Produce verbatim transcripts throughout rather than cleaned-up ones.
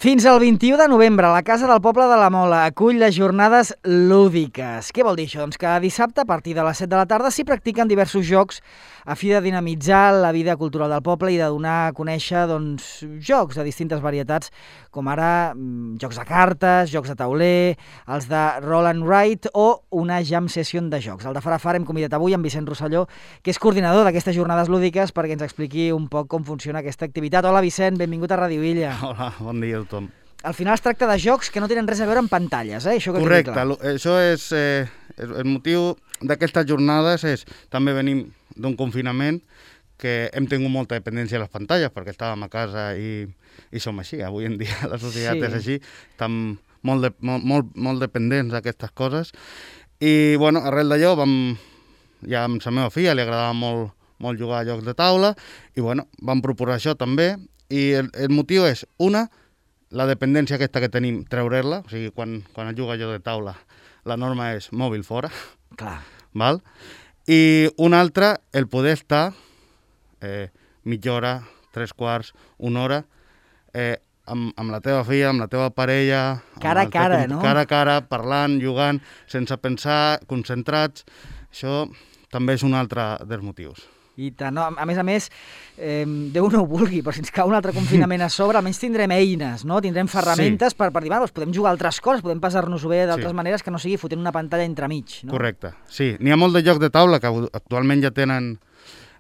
Fins al vint-i-u de novembre, la Casa del Poble de la Mola acull les jornades lúdiques. Què vol dir això? Doncs que dissabte, a partir de les set de la tarda, s'hi practiquen diversos jocs a fi de dinamitzar la vida cultural del poble i de donar a conèixer doncs, jocs de distintes varietats, com ara mm, jocs de cartes, jocs de tauler, els de roll and write o una jam session de jocs. El de Farafar hem convidat avui en Vicent Rosselló, que és coordinador d'aquestes jornades lúdiques, perquè ens expliqui un poc com funciona aquesta activitat. Hola, Vicent, benvingut a Ràdio Illa. Hola, bon dia a tothom. Al final es tracta de jocs que no tenen res a veure amb pantalles, eh? Això que Correcte, això és eh, el motiu d'aquestes jornades és, també venim d'un confinament que hem tingut molta dependència de les pantalles perquè estàvem a casa i, i som així, avui en dia la societat sí. és així, estem molt, de, molt, molt, molt dependents d'aquestes coses i bueno, arrel d'allò vam, ja amb la meva filla li agradava molt, molt jugar a jocs de taula i bueno, vam proposar això també i el, el motiu és, una, la dependència aquesta que tenim, treure-la, o sigui, quan, quan es juga a joc de taula, la norma és mòbil fora. Clar. Val? I una altra, el poder estar eh, mitja hora, tres quarts, una hora, eh, amb, amb la teva filla, amb la teva parella... Cara a cara, no? Cara a cara, parlant, jugant, sense pensar, concentrats. Això també és un altre dels motius. I tant, no? A més a més, eh, Déu no ho vulgui, però si ens cau un altre confinament a sobre, almenys tindrem eines, no? Tindrem ferramentes sí. per, per dir, doncs podem jugar a altres coses, podem passar-nos-ho bé d'altres sí. maneres que no sigui fotent una pantalla entremig. No? Correcte, sí. N'hi ha molt de jocs de taula que actualment ja tenen,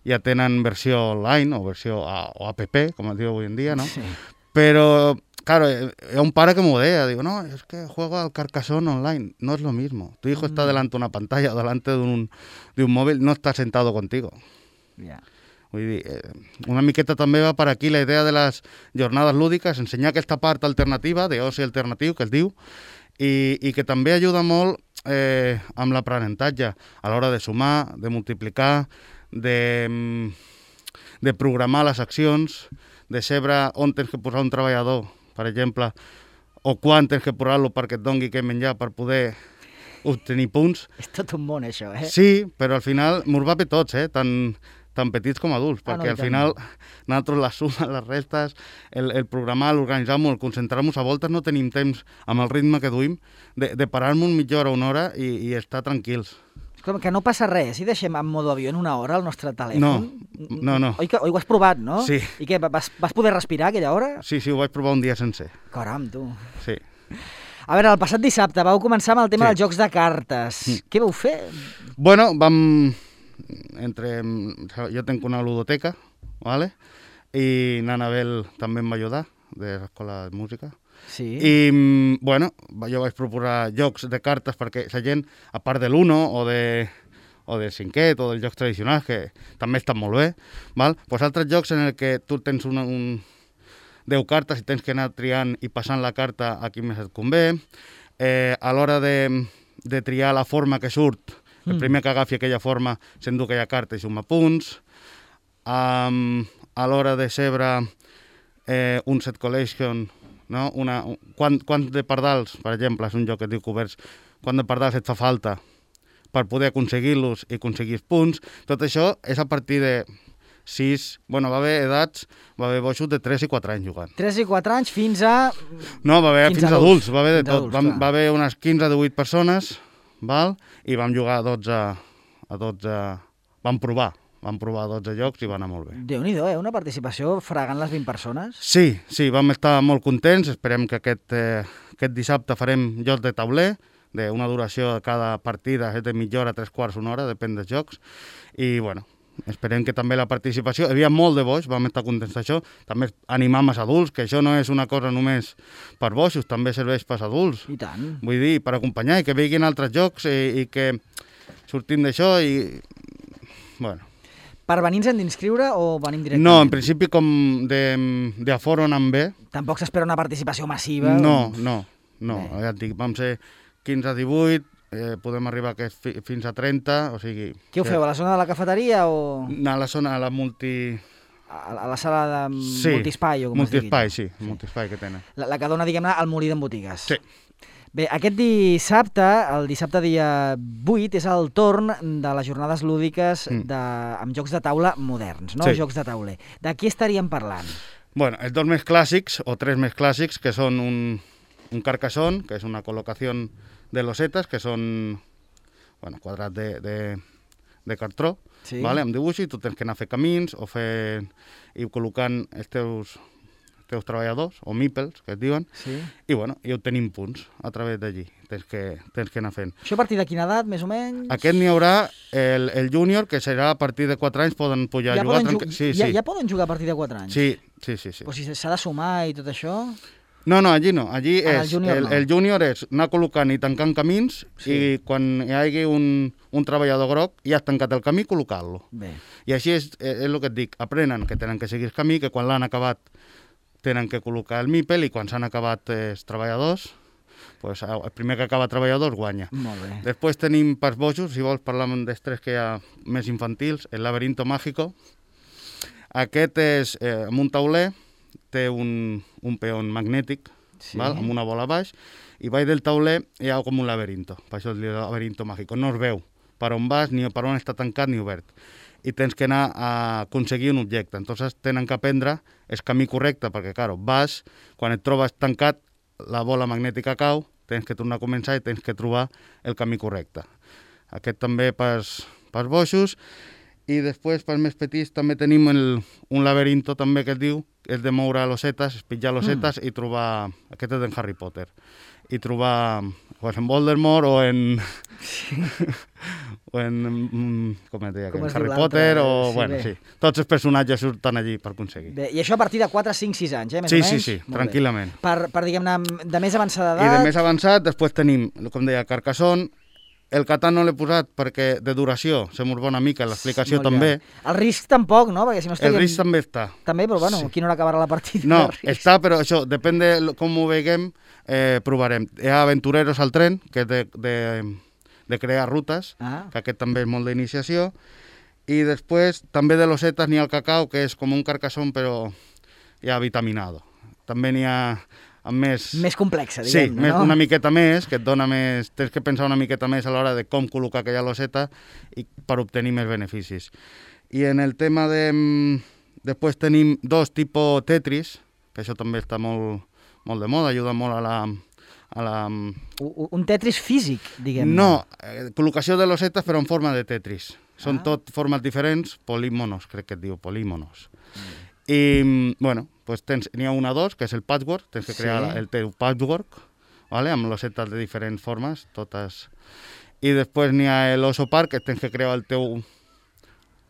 ja tenen versió online o versió a, o app, com es diu avui en dia, no? Sí. Però, claro, hay un pare que me deia, digo, no, es que juego al Carcassonne online, no es lo mismo. Tu hijo mm. está delante de una pantalla o delante de un, de un móvil, no está sentado contigo. Yeah. Vull dir, eh, una miqueta també va per aquí la idea de les jornades lúdiques, ensenyar aquesta part alternativa, d'oci alternatiu, que es diu, i, i que també ajuda molt eh, amb l'aprenentatge a l'hora de sumar, de multiplicar, de, de programar les accions, de saber on tens que posar un treballador, per exemple, o quan tens que posar-lo perquè et doni què menjar per poder obtenir punts. És tot un món, això, eh? Sí, però al final mos va per tots, eh? Tant, tant petits com adults, ah, perquè no, al final nosaltres les sumes, les restes, el, el programar, l'organitzar-nos, el concentrar-nos, a voltes no tenim temps, amb el ritme que duim, de, de parar-nos mitja hora o una hora i, i estar tranquils. Com que no passa res, si deixem en modo avió en una hora el nostre telèfon? No, no, no. Oi que oi ho has provat, no? Sí. I què, vas, vas poder respirar aquella hora? Sí, sí, ho vaig provar un dia sencer. Caram, tu. Sí. A veure, el passat dissabte vau començar amb el tema sí. dels jocs de cartes. Mm. Què vau fer? Bueno, vam... Entre... Jo tenc una ludoteca, ¿vale? I Nanabel també em va ajudar, de l'escola de música. Sí. I, bueno, jo vaig proposar jocs de cartes perquè la gent, a part de l'Uno o de o del cinquet o dels jocs tradicionals, que també estan molt bé, val? Pues altres jocs en el que tu tens una, un... deu cartes i tens que anar triant i passant la carta a qui més et convé. Eh, a l'hora de, de triar la forma que surt, el primer que agafi aquella forma s'endú aquella carta i suma punts. Um, a l'hora de sebre eh, un set collection, no? Una, un, quant, quant de pardals, per exemple, és un joc que es diu coberts, quant de pardals et fa falta per poder aconseguir-los i aconseguir els punts. Tot això és a partir de sis... Bueno, va haver edats, va haver boixos de tres i quatre anys jugant. tres i quatre anys fins a... No, va haver fins, fins a adults, va haver de tot. Adults, va, va haver unes quinze a divuit persones, val? I vam jugar a dotze, a dotze... Vam provar, vam provar dotze jocs i va anar molt bé. Déu-n'hi-do, eh? Una participació fregant les vint persones. Sí, sí, vam estar molt contents. Esperem que aquest, eh, aquest dissabte farem jocs de tauler, d'una duració de cada partida és de mitja hora, tres quarts, una hora, depèn dels jocs. I, bueno, esperem que també la participació... Hi havia molt de boix, vam estar contents d'això. També animam els adults, que això no és una cosa només per boixos, també serveix per adults. I tant. Vull dir, per acompanyar i que vegin altres jocs i, i que sortim d'això i... Bueno. Per venir ens hem d'inscriure o venim directament? No, en principi com d'aforo anant bé. Tampoc s'espera una participació massiva? No, no, no. Ja et dic, vam ser quinze a divuit, Eh, podem arribar que fi, fins a trenta, o sigui... Què ho feu, a la zona de la cafeteria o...? A la zona, a la multi... A, a la sala de sí, multispai o com multispai, es digui? sí, multispai que tenen. La, la que dona, diguem-ne, al molí d'en botigues. Sí. Bé, aquest dissabte, el dissabte dia vuit, és el torn de les jornades lúdiques de, amb jocs de taula moderns, no? Sí. Jocs de tauler. De què estaríem parlant? Bueno, els dos més clàssics, o tres més clàssics, que són un, un carcassón, que és una col·locació de losetes, que són bueno, quadrats de, de, de cartró, sí. Vale? Amb dibuix, i tu tens que anar a fer camins o fer, i col·locant els teus, teus treballadors, o meeples, que es diuen, sí. I, bueno, i obtenim punts a través d'allí. Tens que, tens que anar fent. Això a partir de quina edat, més o menys? Aquest n'hi haurà el, el júnior, que serà a partir de quatre anys, poden pujar ja a jugar. Poden ju sí, ja, sí. ja poden jugar a partir de quatre anys? Sí, sí, sí. sí. Però si s'ha de sumar i tot això... No, no, allí no. Allí ah, és, el, júnior el, no. el júnior és anar col·locant i tancant camins, sí. I quan hi hagi un, un treballador groc i has tancat el camí, col·locar-lo. I així és, és el que et dic, aprenen que tenen que seguir el camí, que quan l'han acabat tenen que col·locar el mípel, i quan s'han acabat els treballadors, pues, el primer que acaba treballadors guanya. Molt bé. Després tenim pels bojos, si vols parlar dels tres que hi ha més infantils, el laberinto mágico. Aquest és eh, amb un tauler, té un, un peón magnètic, sí. Val? Amb una bola baix, i baix del tauler hi ha com un laberinto, per això es diu laberinto mágico. No es veu per on vas, ni per on està tancat ni obert. I tens que anar a aconseguir un objecte. Entonces tenen que aprendre el camí correcte, perquè, clar, vas, quan et trobes tancat, la bola magnètica cau, tens que tornar a començar i tens que trobar el camí correcte. Aquest també pels, pels boixos. I després, pels més petits, també tenim el, un laberinto també que es diu, és de moure losetes, pitjar losetes mm. i trobar... Aquest és d'en Harry Potter. I trobar o en Voldemort o en... Sí. o en... Com es deia? Com en Harry Potter o... Sí, bueno, bé. Sí. Tots els personatges surten allí per aconseguir. Bé, i això a partir de quatre, cinc, sis anys, eh? Més sí, o menys? Sí, sí, tranquil·lament. Per, per diguem-ne, de més avançada edat... I de més avançat, després tenim, com deia, Carcassonne. El Catan no l'he posat perquè de duració se m'ho va una mica, l'explicació també. El risc tampoc, no? Perquè si no estaríem... El risc també està. També, però bueno, sí. Quina hora acabarà la partida? No, està, però això, depèn de com ho veiem, eh, provarem. Hi ha Aventureros al tren, que és de, de, de crear rutes, ah. Que aquest també és molt d'iniciació. I després, també de losetes n'hi ha el cacau, que és com un carcassón, però ja vitaminado. També n'hi ha... amb més... Més complexa, diguem-ne, sí, més, no? Una miqueta més, que et dona més... Tens que pensar una miqueta més a l'hora de com col·locar aquella loseta i per obtenir més beneficis. I en el tema de... Després tenim dos tipus Tetris, que això també està molt, molt de moda, ajuda molt a la... A la... Un Tetris físic, diguem-ne. No, eh, col·locació de losetes però en forma de Tetris. Són ah. tot formes diferents, polímonos, crec que et diu, polímonos. Mm. I, bueno, pues tens, n'hi ha una o dos, que és el patchwork, tens que crear sí. el teu patchwork, ¿vale? Amb losetes de diferents formes, totes. I després n'hi ha l'oso park, que tens que crear el teu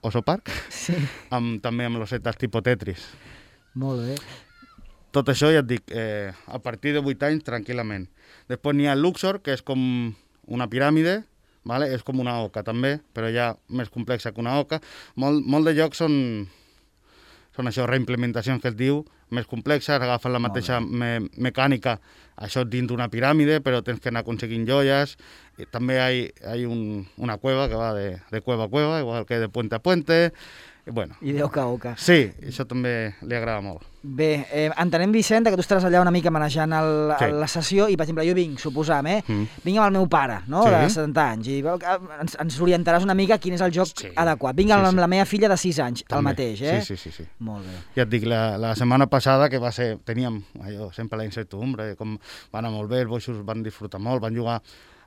oso park, sí. amb, també amb losetes tipus Tetris. Molt bé. Tot això, ja et dic, eh, a partir de vuit anys, tranquil·lament. Després n'hi ha el Luxor, que és com una piràmide, ¿vale? És com una oca també, però ja més complexa que una oca. Molt, molt de jocs són... Són això, reimplementacions que es diu, més complexes, agafen la mateixa me mecànica, això dins d'una piràmide, però tens que anar aconseguint joies. I també hi ha un, una cueva que va de, de cueva a cueva, igual que de puente a puente. I, bueno, I de oca a oca. Sí, això també li agrada molt. Bé, eh, entenem, Vicent, que tu estaràs allà una mica manejant el, sí. la sessió i, per exemple, jo vinc, suposam, eh? Mm. Vinc amb el meu pare, no?, sí. de setanta anys, i ens, ens orientaràs una mica quin és el joc sí. adequat. Vinc sí, amb sí. la meva filla de sis anys, també. El mateix, eh? Sí, sí, sí, sí. Molt bé. Ja et dic, la, la setmana passada, que va ser, teníem allò, sempre la incertidumbre, com va anar molt bé, els boixos van disfrutar molt, van jugar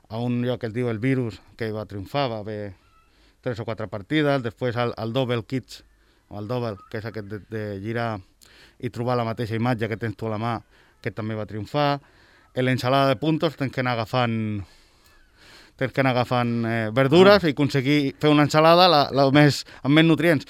a un lloc que es diu el Virus, que va triomfar, va haver tres o quatre partides, després al, al Double Kids, o el Double, que és aquest de, de girar i trobar la mateixa imatge que tens tu a la mà, que també va triomfar. En l'ensalada de puntos tens que anar agafant, tens que anar agafant eh, verdures ah. i aconseguir fer una ensalada la, la més, amb més nutrients.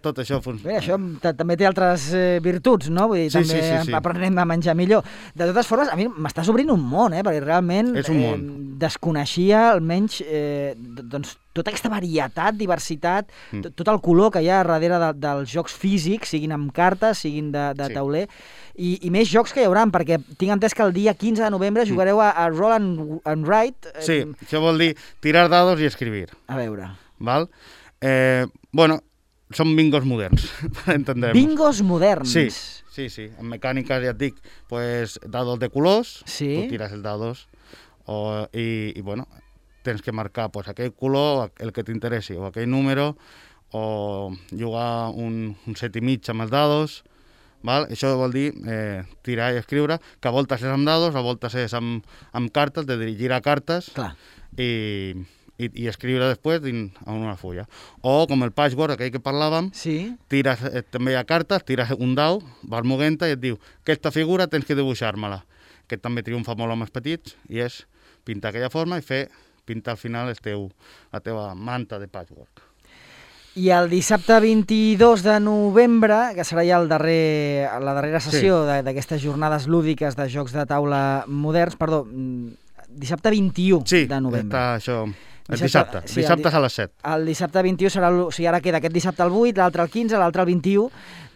Tot això funciona. Bé, això també té altres eh, virtuts, no? Vull dir, sí, també sí, sí, sí. aprenem a menjar millor. De totes formes, a mi m'estàs obrint un món, eh? Perquè realment és un món. Eh, desconeixia almenys eh, doncs, tota aquesta varietat, diversitat, mm. tot, tot el color que hi ha darrere de, dels jocs físics, siguin amb cartes, siguin de, de sí. tauler, i, i més jocs que hi haurà, perquè tinc entès que el dia quinze de novembre mm. jugareu a, a Roll and, and Write. Eh, sí, això vol dir tirar dados i escribir. A veure. Val? Eh, bueno, són bingos moderns, per entendre-nos. Bingos moderns? Sí, sí, sí. En mecàniques, ja et dic, pues, dados de colors, sí. tu tires els dados, o, i, i, bueno, tens que marcar pues, aquell color, el que t'interessi, o aquell número, o jugar un, un set i mig amb els dados, val? Això vol dir eh, tirar i escriure, que a voltes és amb dados, a voltes és amb, amb cartes, de dirigir a cartes Clar. i, i, i escriure després dins en una fulla. O com el patchwork, aquell que parlàvem, Sí. tires eh, també hi ha cartes, tires un dau, vas moguent i et diu aquesta figura tens que dibuixar-me-la. Que també triomfa molt amb els petits i és pintar aquella forma i fer pintar al final el teu, la teva manta de patchwork. I el dissabte vint-i-dos de novembre, que serà ja el darrer, la darrera sessió sí. d'aquestes jornades lúdiques de jocs de taula moderns, perdó, dissabte vint-i-u sí, de novembre. Sí, està això, el dissabte, sí, dissabte a les set. El dissabte vint-i-u serà, o sigui, ara queda aquest dissabte el vuit, l'altre el quinze, l'altre el vint-i-u,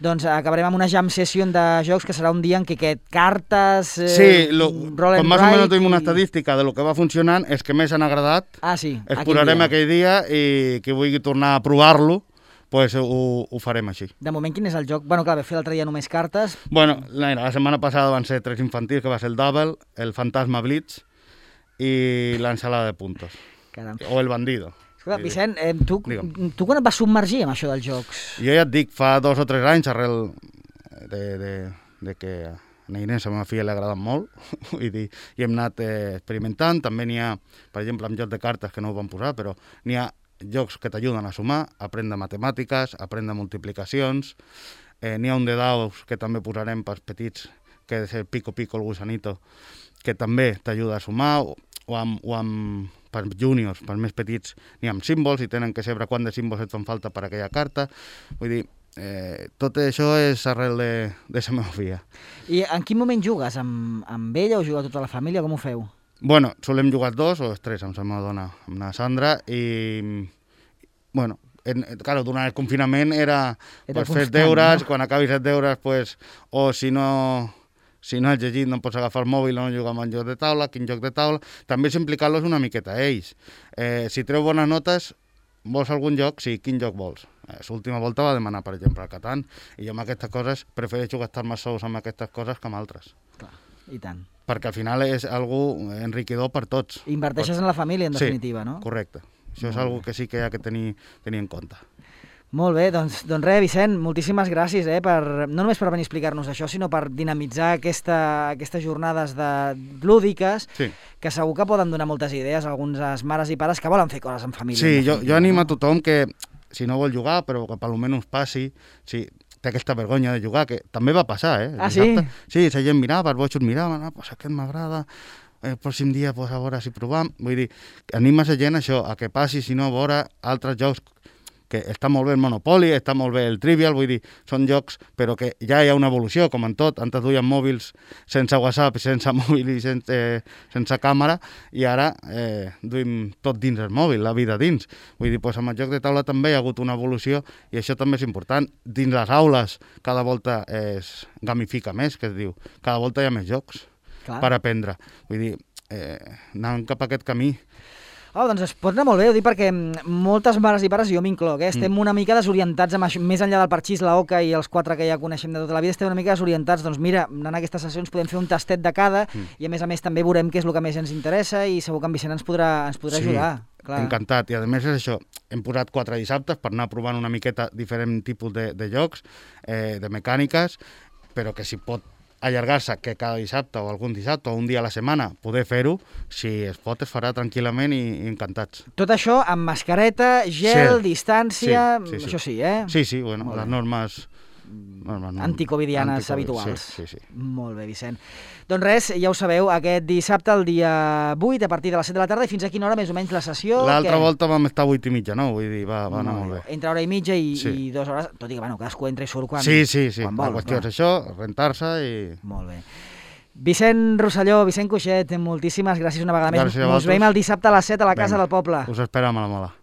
doncs acabarem amb una jam session de jocs que serà un dia en què aquest cartes, eh, sí, lo, roll and com més o menys write tenim una i... estadística de lo que va funcionant, és que més han agradat, ah, sí, es posarem aquell dia i qui vulgui tornar a provar-lo, pues ho, ho farem així. De moment, quin és el joc? Bueno, clar, vam fer l'altre dia només cartes. Bueno, la, la setmana passada van ser tres infantils, que va ser el Double, el Fantasma Blitz i l'ensalada de puntos. Caram. O el Bandido. Escolta, Vicent, eh, tu, tu quan et vas submergir amb això dels jocs? Jo ja et dic, fa dos o tres anys, arrel de, de, de que a la Inés, a la meva filla, li ha agradat molt, vull dir, i hem anat eh, experimentant. També n'hi ha, per exemple, amb jocs de cartes que no ho vam posar, però n'hi ha jocs que t'ajuden a sumar, a aprendre matemàtiques, a aprendre multiplicacions. Eh, n'hi ha un de daus que també posarem pels petits, que és el Pico Pico, el gusanito, que també t'ajuda a sumar, o, o amb... O amb per júniors, per més petits, n'hi ha amb símbols i tenen que saber quant de símbols et fan falta per aquella carta. Vull dir, eh, tot això és arrel de, de la meva filla. I en quin moment jugues? Amb, amb ella o juga tota la família? Com ho feu? Bueno, solem jugar dos o tres amb la meva dona, amb la Sandra, i, bueno, en, claro, durant el confinament era, era pues, fer deures, no? Quan acabis els deures, pues, o si no... Si no has llegit, no pots agafar el mòbil, no jugar amb un joc de taula, quin joc de taula. També és implicar-los una miqueta a ells. Eh, si treu bones notes, vols algun joc? Sí, quin joc vols? Eh, L'última volta va demanar, per exemple, el Catan, i jo amb aquestes coses prefereixo gastar-me sous amb aquestes coses que amb altres. Clar, i tant. Perquè al final és algo enriquidor per tots. Inverteixes per... en la família, en definitiva, sí, no? Correcte. Això és algo que sí que hi ha que tenir, tenir en compte. Molt bé, doncs, doncs res, Vicent, moltíssimes gràcies, eh, per, no només per venir a explicar-nos això, sinó per dinamitzar aquesta, aquestes jornades de, lúdiques, sí. que segur que poden donar moltes idees a algunes mares i pares que volen fer coses en família. Sí, en jo, família, jo animo no? a tothom que, si no vol jugar, però que per almenys passi, si té aquesta vergonya de jugar, que també va passar, eh? Ah, sí? Sí, la gent mirava, els botxos miraven, ah, pues aquest m'agrada, el pròxim dia, pues, a veure si provam. Vull dir, anima la gent això, a que passi, si no, a veure altres jocs que està molt bé el Monopoly, està molt bé el Trivial, vull dir, són jocs, però que ja hi ha una evolució, com en tot. Antes duien mòbils sense WhatsApp, sense mòbil i sense, eh, sense càmera, i ara eh, duim tot dins el mòbil, la vida dins. Vull dir, doncs amb el joc de taula també hi ha hagut una evolució, i això també és important. Dins les aules, cada volta es gamifica més, que es diu. Cada volta hi ha més jocs Clar. Per aprendre. Vull dir, eh, anant cap a aquest camí. Oh, doncs es pot anar molt bé, ho dic perquè moltes mares i pares, jo m'incloc, eh, estem mm. una mica desorientats amb això, més enllà del parxís, la oca i els quatre que ja coneixem de tota la vida, estem una mica desorientats, doncs mira, en aquestes sessions podem fer un tastet de cada mm. i a més a més també veurem què és el que més ens interessa i segur que en Vicent ens podrà, ens podrà sí, ajudar. Clar. Encantat, i a més és això, hem posat quatre dissabtes per anar provant una miqueta diferent tipus de, de jocs, eh, de mecàniques, però que si pot allargar-se que cada dissabte o algun dissabte o un dia a la setmana poder fer-ho, si es pot es farà tranquil·lament i, i encantats. Tot això amb mascareta, gel, sí. distància, sí, sí, sí. això sí, eh? Sí, sí, bueno, les normes... normes anticovidianes anticovid, habituals. Sí, sí, sí. Molt bé, Vicent. Doncs res, ja ho sabeu, aquest dissabte, el dia vuit, a partir de les set de la tarda, i fins a quina hora més o menys la sessió? L'altra que... volta vam estar a vuit i mitja, no? Vull dir, va, va anar molt, molt bé. Entre hora i mitja i, sí. i dues hores, tot i que, bueno, cadascú entra i surt quan, sí, sí, sí. quan vol. La qüestió clar. És això, rentar-se i... Molt bé. Vicent Rosselló, Vicent Cuixet, moltíssimes gràcies una vegada gràcies més. Ens veiem el dissabte a les set a la Venga. Casa del Poble. Us esperam a la Mola.